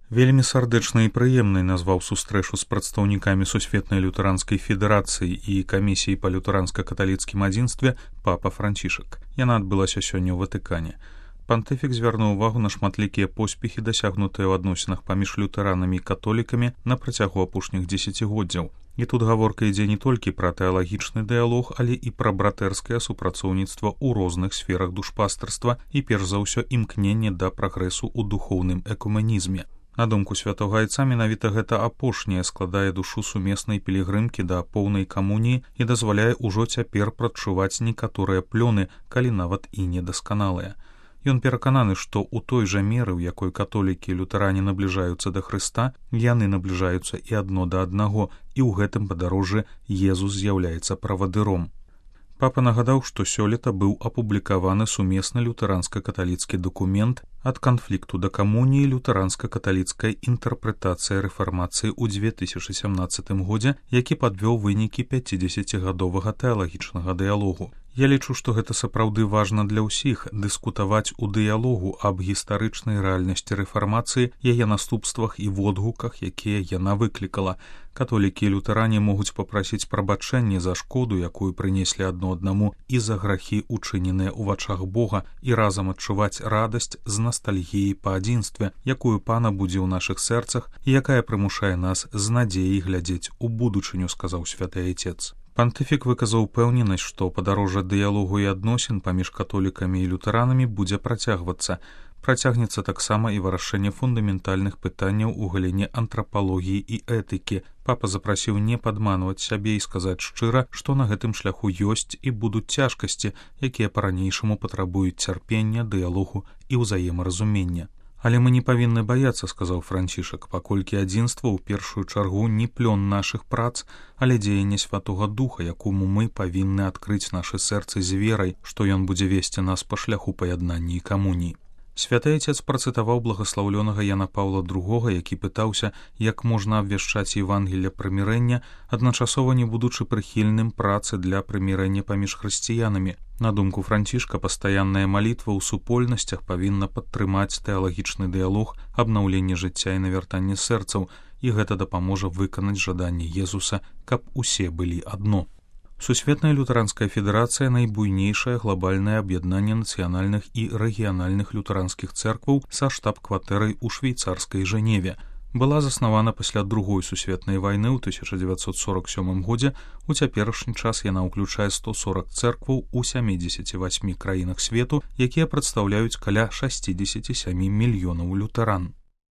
Вельмі сардэчнай і прыемнай назваў сустрэчу з прадстаўнікамі Сусветнай лютэранскай федэрацыі і камісіі па лютэранска-каталіцкім адзінстве папа Францішак. Яна адбылася сёння ў Ватыкане. Пантыфік звярнуў увагу на шматлікія поспехі, дасягнутыя ў адносінах паміж лютэранамі і католікамі на працягу апошніх дзесяцігоддзяў. І тут гаворка ідзе не толькі пра тэалагічны дыялог, але і пра братэрскае супрацоўніцтва ў розных сферах душпастарства і перш за ўсё імкненне да прагрэсу ў духоўным экуменізме. На думку святога айца, менавіта гэта апошняе складае душу сумеснай пілігрымкі да поўнай камуніі і дазваляе ўжо цяпер прадчуваць некаторыя плёны, калі нават і недасканалыя. Ён перакананы, што ў той жа меры, у якой католікі і лютэране набліжаюцца да Хрыста, яны набліжаюцца і адно да аднаго, і ў гэтым падарожжы Езус з'яўляецца правадыром. Папа нагадаў, што сёлета быў апублікаваны сумесны лютэранска-каталіцкі дакумент «Ад канфлікту да камуніі. Лютэранска-каталіцкая інтэрпрэтацыя рэфармацыі» ў 2017 годзе, які падвёў вынікі 50гадовага тэалагічнага дыялогу. Я лічу, што гэта сапраўды важна для ўсіх дыскутаваць у дыялогу аб гістарычнай рэальнасці рэфармацыі, яе наступствах і водгуках, якія яна выклікала. Католікі і лютэране могуць папрасіць прабачэнне за шкоду, якую прынеслі адно аднаму, і за грахі, учыненыя ў вачах Бога, і разам адчуваць радасць з настальгіяй па адзінстве, якую Пана будзе ў нашых сэрцах і якая прымушае нас з надзеяй глядзець у будучыню, сказаў святы айцец. Пантыфік выказаў упэўненасць, што падарожжа дыялогу і адносін паміж католікамі і лютэранамі будзе працягвацца. Працягнецца таксама і вырашэнне фундаментальных пытанняў у галіне антрапалогіі і этыкі. Папа запрасіў не падманваць сябе і сказаць шчыра, што на гэтым шляху ёсць і будуць цяжкасці, якія па-ранейшаму патрабуюць цярпення, дыялогу і ўзаемаразумення. Але мы не павінны баяцца, сказаў Францішак, паколькі адзінства ў першую чаргу не плён нашых прац, але дзеянне Святога Духа, якому мы павінны адкрыць нашы сэрцы з верай, што ён будзе весці нас па шляху паяднання і камуніі. Святы айцец працытаваў благаслаўлёнага Яна Паўла II, які пытаўся, як можна абвяшчаць Евангелле прымірэння, адначасова не будучы прыхільным працы для прымірэння паміж хрысціянамі. На думку Францішка, пастаянная малітва ў супольнасцях павінна падтрымаць тэалагічны дыялог, абнаўленне жыцця і навяртанне сэрцаў, і гэта дапаможа выканаць жаданне Езуса, каб усе былі адно. Сусветная лютэранская федэрацыя — найбуйнейшае глобальнае аб'яднанне нацыянальных і рэгіянальных лютэранскіх цэркваў са штаб-кватэрай у швейцарскай Жэневе. Была заснавана пасля Другой сусветнай вайны ў 1947 годзе. У цяперашні час яна ўключае 140 цэркваў у 78 краінах свету, якія прадстаўляюць каля 67 мільёнаў лютэран.